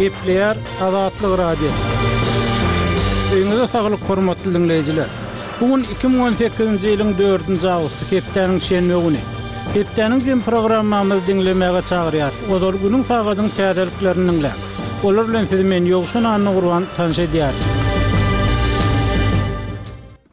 Gepleýär Azatlyk Radiosy. Öýüňize saglyk hormatly diňleýjiler! Bu gün 2018-nji ýylyň dördünji awgusty, hepdäniň şenbe güni. Hepdäniň jem programmamyzy diňlemäge çagyrýarys. Ozal günüň sagadyň täzeliklerini diňläň. Olar bilen sizi men Ýowşan Annagurban tanyş edýärin.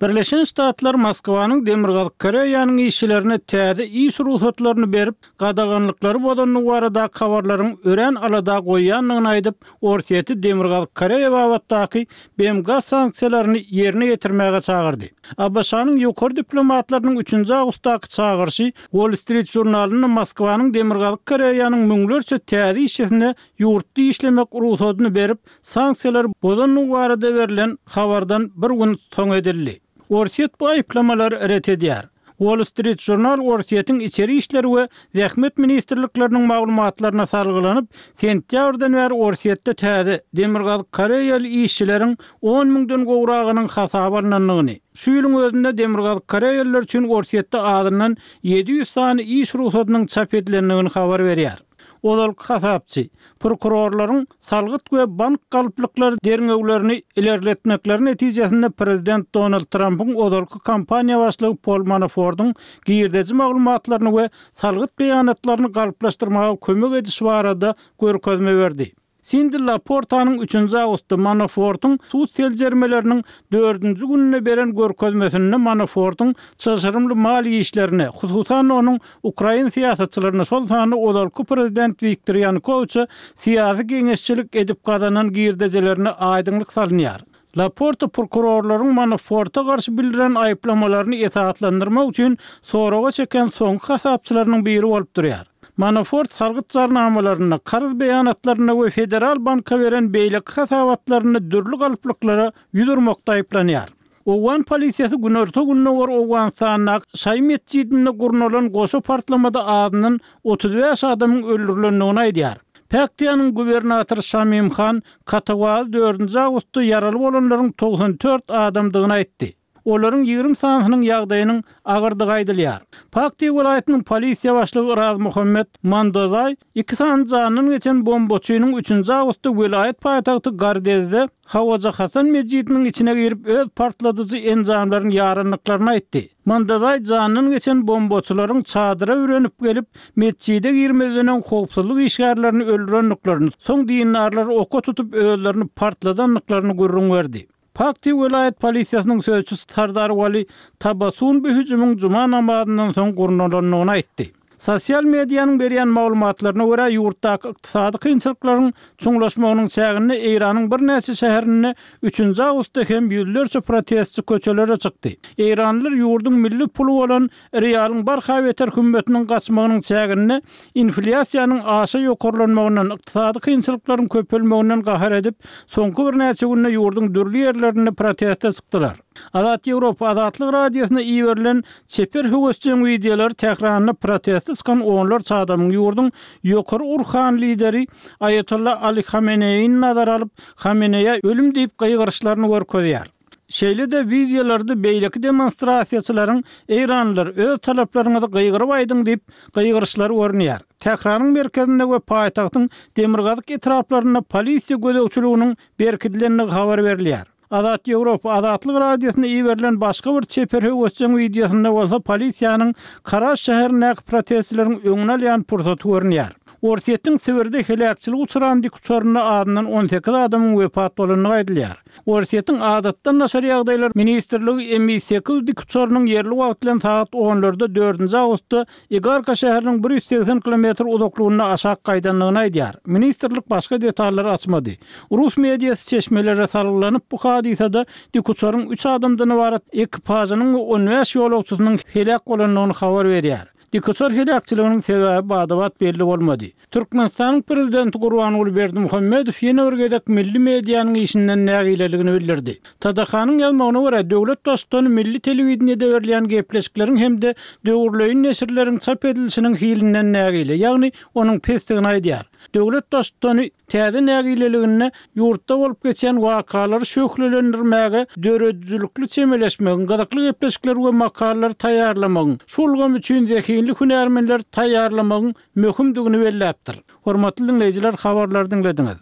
Birleşen Ştatlar Moskwanyň Demirgazyk Koreýanyň işçilerine täze iş rugsatlaryny berip, gadaganlyklary bozandygy baradaky habarlaryň örän alada goýýandygyny aýdyp, Orsýeti Demirgazyk Koreýa babatdaky BMG sanksiýalaryny ýerine ýetirmäge çagyrdy. ABŞ-nyň ýokary diplomatlarynyň üçünji awgustdaky çagyryşy Wall Street žurnalynda Moskwanyň Demirgazyk Koreýanyň müňlerçe täze işçisine ýurtda işlemek rugsadyny berip, sanksiýalary bozandygy barada berlen habardan bir gün soň edildi. Orsýet bu aýyplamalary ret edýär. Wall Street Journal Orsýetiň Içeri işler we Zähmet ministrlikleriniň maglumatlaryna salgylanyp, sentýabrdan bäri Orsýetde täze, demirgazyk koreýaly işçileriň on müňden gowragynyň hasaba alnandygyny, şu ýylyň özünde demirgazyk koreýalylar üçin Orsýetde azyndan 700 sany iş rugsadynyň çap edilendigini habar berýär. Ozalky hasapçy, prokurorlaryň salgyt we bank galplyklary derňewlerini ilerletmekleri netijesinde prezident Donald Trampyň ozalky kampaniýa başlygy Pol Manafordyň girdeji maglumatlaryny we salgyt beýanatlaryny galplaşdyrmaga kömek edişi barada görkezme berdi. Sindi Laportanyň üçünji awgustda Manafortyň sud seljermeleriniň dördünji gününde beren görkezmesinde Manafortyň çylşyrymly maliýe işlerine, hususan-da onuň ukrain syýasatçylaryna, şol sanda ozalky prezident Wiktor Ýanukowiçe syýasy geňeşçilik edip gazanan girdejilerine aýdyňlyk salynýar. Laporta prokurorlaryň Manaforta garşy bildiren aýyplamalaryny esaslandyrmak üçin soraga çeken soňky hasapçylarynyň biri bolup durýar. Manafort salgyt jarnamalarynda, karz beýanatlarynda we Federal banka beren beýleki hasabatlarynda dürli galplyklara ýüz urmakda aýyplanýar. Owgan polisiýasy günorta-gündogar Owganystandaky şaýy metjidinde gurnalan goşa partlamada azyndan 35 adamyň öldürilendigini aýdýar. Paktiýanyň gubernatory Şamim Han Katawal dördünji awgustda ýaraly bolanlaryň 94 adamdygyny aýtdy. Olaryň 20 sanysynyň ýagdaýynyň agyrdygy aýdylýar. Paktiýa welaýatynyň polisiýa başlygy Raz Muhammed Mandozaý iki sany janyndan geçen bombaçynyň üçünji awgustda welaýat paýtagty Gardezde Hawaja Hasan metjidiniň içine girip öz partladyjy enjamlaryny ýarandyklaryny aýtdy. Mandazaý janyndan geçen bombaçylaryň çadyra bürenip gelip, metjide girmezden öň howpsuzlyk işgärlerini öldürendiklerini, soň dindarlary oka tutup özlerini partladandyklaryny gürrüň berdi. Pakti welaýat polisiýasynyň sözçüsi Sardar Wali Tabasun bu hüjümiň juma namazyndan soň gurnalandygyny aýtdy. Sosial medianyň berýän maglumatlaryna görä, ýurtdaky ykdysady kynçylyklaryň çuňlaşmagynyň çäginde Eýranyň birnäçe şäherinde üçünji awgustda hem ýüzlerçe protestçi köçelere çykdy. Eýranlylar ýurduň milli puly bolan rialyň barha beter hümmetiniň gaçmagynyň çäginde inflýasiýanyň aşa ýokarlanmagyndan, ykdysady kynçylyklaryň köpelmeginden gahar edip, soňky birnäçe günde ýurduň dürli ýerlerinde proteste çykdylar. Azat Ýewropa Azatlyk Radiosyna iberilen çeper höwesjeň wideolary Tähranda proteste çykan onlarça adamyň ýurduň ýokary urhan lideri Aýatolla Ali Hameneýini nazara alyp, Hameneýä ölüm diýip gygyryşlaryny görkezýär. Şeýle-de wideolarda beýleki demonstrasiýaçylaryň Eýranlylar, öz talaplaryňyzy gygyryp aýdyň diýip gygyryşlary görünýär. Tähranyň merkezinde we paýtagtyň demirgazyk etraplarynda polisiýa gözegçiliginiň berkidilendigi habar berilýär. Azat Ýewropa Azatlyk Radiosyna iberilen başga bir çeper höwesjeň wideosynda bolsa polisiýanyň Karaş şäherindäki protestçileriň öňüni alýan pursaty görünýär. Orsýetiň Sibirde heläkçilige uçran dikuçarynda azyndan 18 adamyň wepat bolandygy aýdylýar. Orsýetiň Adatdan daşary ýagdaýlar ministrligi Mi sekiz dikuçarynyň ýerli wagt bilen sagat onlarda dördünji awgustda Igarka şäheriniň 180 kilometr uzaklygynda aşak gaýdandygyny aýdýar. Ministrlik başga detallary açmady. Rus mediasy çeşmelere salgylanyp, bu hadysada dikuçaryň üç adamdan ybarat ekipažynyň we on bäş ýolagçysynyň heläk bolandygyny habar berýär. Dikuçar heläkçiliginiň sebäbi bada-bat belli bolmady. Türkmenistanyň Prezidenti Gurbanguly Berdimuhamedow ýene bir gezek milli medianyň işinden nägileligini bildirdi. TDH-nyň ýazmagyna görä, döwlet Baştutany milli telewideniýede berilýän gepleşikleriň hem-de döwürleýin neşirleriň çap edilişiniň hilinden nägile, ýagny onuň pesdigini aýdýar. Döwlet Baştutany täze nägileliginde ýurtda bolup geçýän wakalary şöhlelendirmäge döredijilikli çemeleşmegiň, gyzykly gepleşikleri we makalalary taýýarlamagyň, şu ulgam üçin zehinli hünärmenleri taýýarlamagyň möhümdigini belläpdir. Hormatly diňleýjiler habarlary diňlediňiz.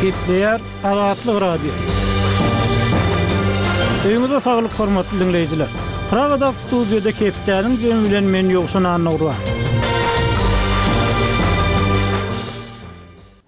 Gepleýär Azatlyk Radiosy. Öýüňize saglyk hormatly diňleýjiler. Pragadaky studiýada hepdäniň jemi bilen men Ýowşan Annagurban.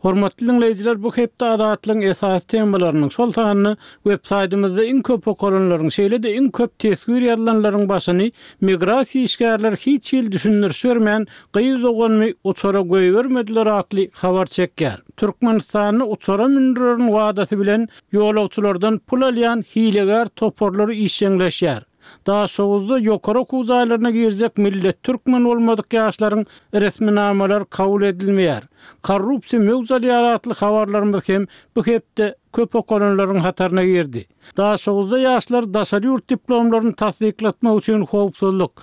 Hormatly diňleýjiler bu hepde Azatlygyň esasy temalarynyň, şol sanda web saýtymyzda iň köp okalanlaryň, şeýle-de iň köp teswir ýazylanlaryň başyny migrasiýa işgärleri hiç hili düşündiriş bermän gyz doganymy uçara goýbermediler atly habar çekýär. Türkmenistanda uçara mündürerin wadasy bilen ýolagçylardan pul alýan hilegär toparlar işjeňleşýär. Daşoguzda ýokary okuw jaýlaryna girjek millet türkmen bolmadyk ýaşlaryň resminamalary kabul edilmeýär. Korrupsiýa möwç alýar atly habarlarymyz hem bu hepde köp okalanlaryň hataryna girdi. Daşoguzda ýaşlar daşary ýurt diplomlaryny tassyklatmak üçin howpsuzlyk.